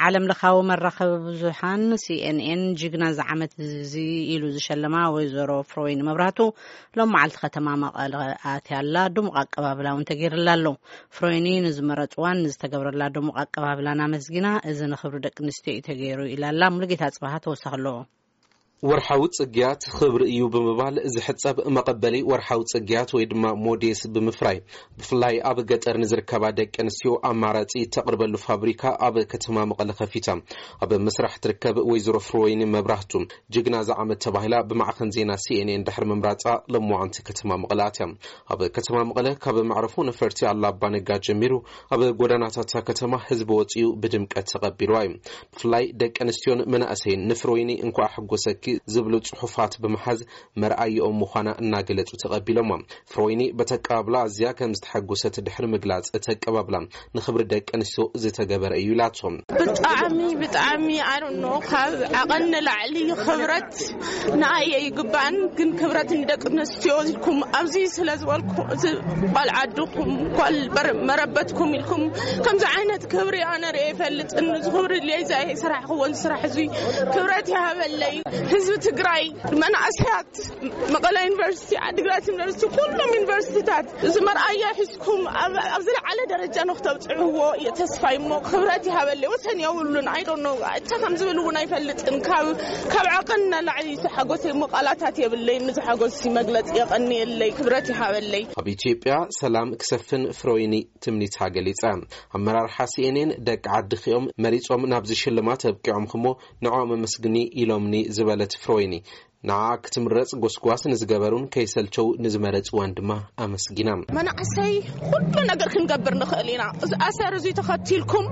ዓለም ለኻዊ መራኸቢ ብዙሓን ሲኤንኤን ጅግና ዝዓመት እዚ ኢሉ ዝሸለማ ወይዘሮ ፍሮይን መብራህቱ ሎም መዓልቲ ከተማ መቐለ ኣትያ ኣላ። ድሙቕ ኣቀባብላ እውን ተገይርላ ኣሎ። ፍሮይኒ ንዝመረፅዋን ንዝተገብረላ ድሙቕ ኣቀባብላን ኣመስጊና፣ እዚ ንኽብሪ ደቂ ኣንስትዮ እዩ ተገይሩ ኢላ ኣላ። ሙሉጌታ ጽባሃ ተወሳኺ ኣለዎ። ወርሓዊ ጽግያት ክብሪ እዩ ብምባል ዝሕጸብ መቐበሊ ወርሓዊ ጽግያት ወይ ድማ ሞዴስ ብምፍራይ፣ ብፍላይ ኣብ ገጠር ንዝርከባ ደቂ ኣንስትዮ ኣማራጺ ተቕርበሉ ፋብሪካ ኣብ ከተማ መቐለ ከፊታ ኣብ ምስራሕ ትርከብ ወይዘሮ ፍሮወይኒ መብራህቱ፣ ጅግና ዝዓመት ተባሂላ ብማዕኸን ዜና ሲኤንኤን ድሕሪ ምምራጻ፣ ሎማዓንቲ ከተማ መቐለ ኣትያ። ኣብ ከተማ መቐለ ካብ መዕረፎ ነፈርቲ ኣላ ኣባ ነጋ ጀሚሩ፣ ኣብ ጎዳናታት ከተማ ህዝቢ ወጺኡ ብድምቀት ተቐቢልዋ እዩ። ብፍላይ ደቂ ኣንስትዮን መናእሰይን ንፍሮይኒ እንኳዕ ሓጎሰኪ ዝብሉ ጽሑፋት ብምሓዝ መርኣይኦም ምዃና እናገለጹ ተቐቢሎማ። ፍሮይኒ በቲ ኣቀባብላ ኣዝያ ከም ዝተሓጎሰት ድሕሪ ምግላጽ፣ እቲ ኣቀባብላ ንኽብሪ ደቂ ኣንስትዮ ዝተገበረ እዩ ኢላቶ። ብጣዕሚ፣ ብጣዕሚ፣ I don't know፣ ካብ ዓቐን ንላዕሊ ክብረት ንኣየ ይግባን፣ ግን ክብረት ንደቂ ኣንስትዮ ኢልኩም ኣብዚ ስለ ዝበልኩ፣ እዚ ጓል ዓድኹም፣ ጓል በር-፣ መረበትኩም ኢልኩም ከምዚ ዓይነት ክብሪ ኣነ ርእየ ይፈልጥን፣ እዚ ክብሪ ድልየ ዘይ ስራሕክዎን ስራሕ እዚ ክብረት ይሃበለይ። ህዝቢ ትግራይ፣ መናእሰያት መቐለ ዩኒቨርሲቲ፣ ዓዲግራት ዩኒቨርሲቲ፣ ኩሎም ዩኒቨርሲቲታት እዚ መርኣያ ሒዝኩም ኣብ፣ ኣብ ዝለዓለ ደረጃ ንክተብፅዕዎ እየ ተስፋ እሞ ክብረት ይሃበለይ። ወሰን የብሉን። I don't know፣ እንታይ ከም ዝብል እውን ኣይፈልጥን። ካብ፣ ካብ ዓቐን ንላዕሊ ዝተሓጎሰ እሞ ቃላታት የብለይን። ንዝሓጎስ መግለፂ የቐንየለይ፣ ክብረት ይሃበለይ። ኣብ ኢትዮጵያ ሰላም ክሰፍን ፍሮይኒ ትምኒታ ገሊጻ። ኣመራርሓ ሲኤንኤን ደቂ ዓድኺ እዮም መሪጾም ናብዚ ሽልማት ኣብቂዖምክሞ ንዕኦም ኣመስግኒ ኢሎምኒ ዝበለት ፍሮይኒ፣ ንዓ ክትምረጽ ጎስጓስ ንዝገበሩን ከይሰልቸው ንዝመረጽዋን ድማ ኣመስጊና። መናእሰይ፣ ኩሉ ነገር ክንገብር ንኽእል ኢና። እዚ ኣሰር እዚ ተኸቲልኩም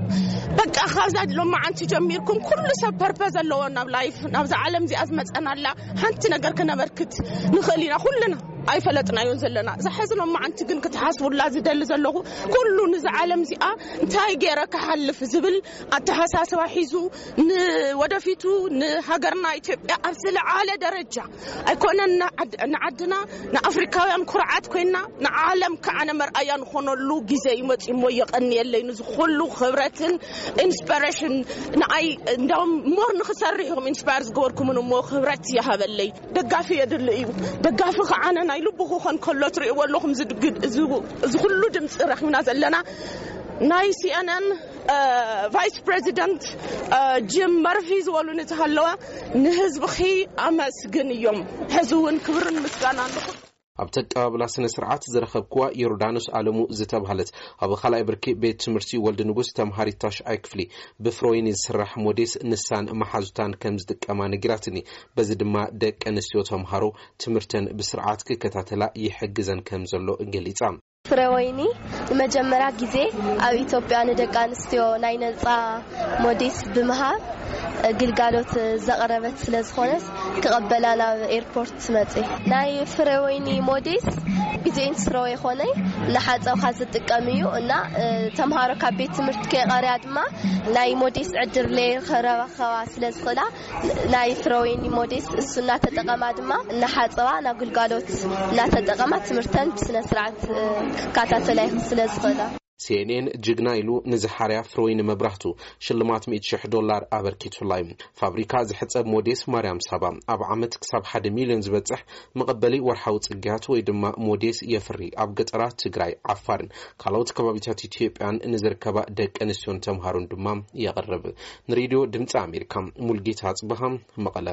በቃ ካብዛ ሎማዓንቲ ጀሚርኩም ኩሉ ሰብ ፐርፐዝ ኣለዎ ናብ ላይፍ፣ ናብዛ ዓለም እዚኣ ዝመጸናላ ሓንቲ ነገር ክነበርክት ንኽእል ኢና ኩልና። ኣይፈለጥናዮን ዘለና። እዛ ሕዚ ሎማዓንቲ ግን ክትሓስቡላ ዝደሊ ዘለኹ፣ ኩሉ ንዛ ዓለም እዚኣ እንታይ ገይረ ክሓልፍ ዝብል ኣተሓሳስባ ሒዙ፣ ንወደፊቱ ንሃገርና ኢትዮጵያ ኣብ ዝለዓለ ደረጃ፣ ኣይኮነን ንዓድ-፣ ንዓድና፣ ንኣፍሪካውያን ኩርዓት ኮይና፣ ንዓለም ከዓነ መርኣያ ንኾነሉ ግዜ ይመጽእ እሞ፣ የቐንየለይ። ንዚ ኩሉ ክብረትን ኢንስፒሬሽን ንኣይ እንዳውም ሞር ንክሰርሕ ኢኹም ኢንስፓየር ዝገበርኩምን እሞ፣ ክብረት ይሃበለይ። ደጋፊ የድሊ እዩ። ደጋፊ ከዓነ ናይ ልቡ ክኾን ከሎ ትርእይዎ ኣለኹም። ዝድግድ እዚ፣ እዚ ኩሉ ድምፂ ረኺብና ዘለና፣ ናይ ሲኤንኤን ቫይስ ፕሬዚደንት ጂም መርፊ ዝበሉ እንተሃለወ፣ ንህዝብኺ ኣመስግን እዮም። ሕዚ እውን ክብርን ምስጋና ኣለኹም። ኣብቲ ኣቀባብላ ስነ ስርዓት ዝረኸብክዋ ዮርዳኖስ ኣለሙ ዝተባህለት፣ ኣብ ካልኣይ ብርኪ ቤት ትምህርቲ ወልድ ንጉስ ተምሃሪት ታሽዓይ ክፍሊ፣ ብፍሮይኒ ዝስራሕ ሞዴስ ንሳን መሓዙታን ከም ዝጥቀማ ነጊራትኒ። በዚ ድማ ደቂ ኣንስትዮ ተምሃሮ ትምህርተን ብስርዓት ክከታተላ ይሕግዘን ከም ዘሎ ገሊጻ። ፍሬወይኒ ንመጀመርያ ግዜ ኣብ ኢትዮጵያ ንደቂ ኣንስትዮ ናይ ነጻ ሞዴስ ብምሃብ ግልጋሎት ዘቕረበት ስለ ዝኾነት፣ ክቐበላ ናብ ኤርፖርት መጽእ። ናይ ፍሬወይኒ ሞዴስ ግዜን ስረወ ይኾነይ እናሓጸብካ ዝጥቀም እዩ እና፣ እ፣ ተምሃሮ ካብ ቤት ትምህርቲ ከይቐርያ ድማ ናይ ሞዴስ ዕድል ለይረኸባ ስለ ዝኽእላ፣ ናይ ፍሬወይኒ ሞዴስ እሱ እናተጠቐማ ድማ እናሓጸባ ናብ ግልጋሎት እናተጠቐማ ትምህርተን ብስነ ስርዓት፣ እ፣ ክከታተላ ይኽ-፣ ስለ ዝኽእላ። ሲኤንኤን ጅግና ኢሉ ንዝሓርያ ፍሮይኒ መብራህቱ ሽልማት ሚእቲ ሽሕ ዶላር ኣበርኪቱላ እዩ። ፋብሪካ ዝሕጸብ ሞዴስ ማርያም ሳባ ኣብ ዓመት ክሳብ ሓደ ሚልዮን ዝበጽሕ መቐበሊ ወርሓዊ ጽግያት ወይ ድማ ሞዴስ የፍሪ። ኣብ ገጠራት ትግራይ፣ ዓፋርን ካልኦት ከባቢታት ኢትዮጵያን ንዝርከባ ደቂ ኣንስትዮን ተምሃሮን ድማ የቕርብ። ንሬድዮ ድምፂ ኣሜሪካ፣ ሙልጌታ ኣጽብሃ፣ መቐለ።